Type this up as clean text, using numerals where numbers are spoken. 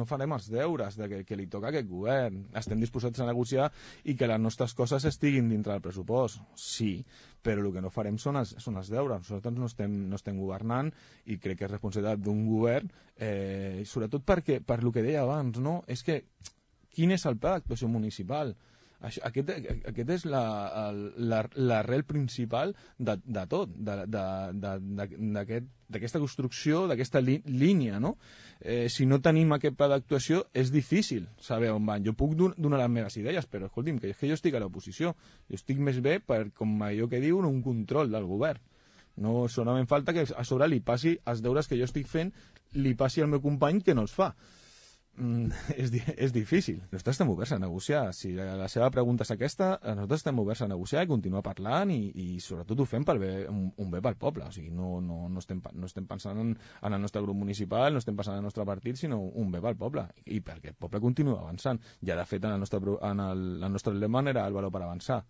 no farem els deures que li toca a aquest govern. Estem disposats a negociar i que les nostres coses estiguin dintre del pressupost, sí, però el que no farem són els deures. Nosaltres no estem governant i crec que és responsabilitat d'un govern, sobretot perquè, per el que deia abans, no? És que quin és el pla d'actuació municipal? Aquest és l'arrel principal de tot, d'aquesta construcció, d'aquesta línia, no? Si no tenim aquest pla d'actuació és difícil saber on van. Jo puc donar les meves idees, però escolti'm, que és que jo estic a l'oposició. Jo estic més bé per, com allò que diuen, un control del govern. No solament falta que a sobre li passi els deures que jo estic fent, li passi al meu company que no els fa. És difícil. Nosaltres estem oberts a negociar. Si la seva pregunta és aquesta, nosaltres estem oberts a negociar i continuar parlant i sobretot ho fem per un bé pel poble. O sigui, no estem pensant en el nostre grup municipal, no estem pensant en el nostre partit, sinó un bé pel poble. I perquè el poble continua avançant. Ja, de fet, el nostre lema era el valor per avançar.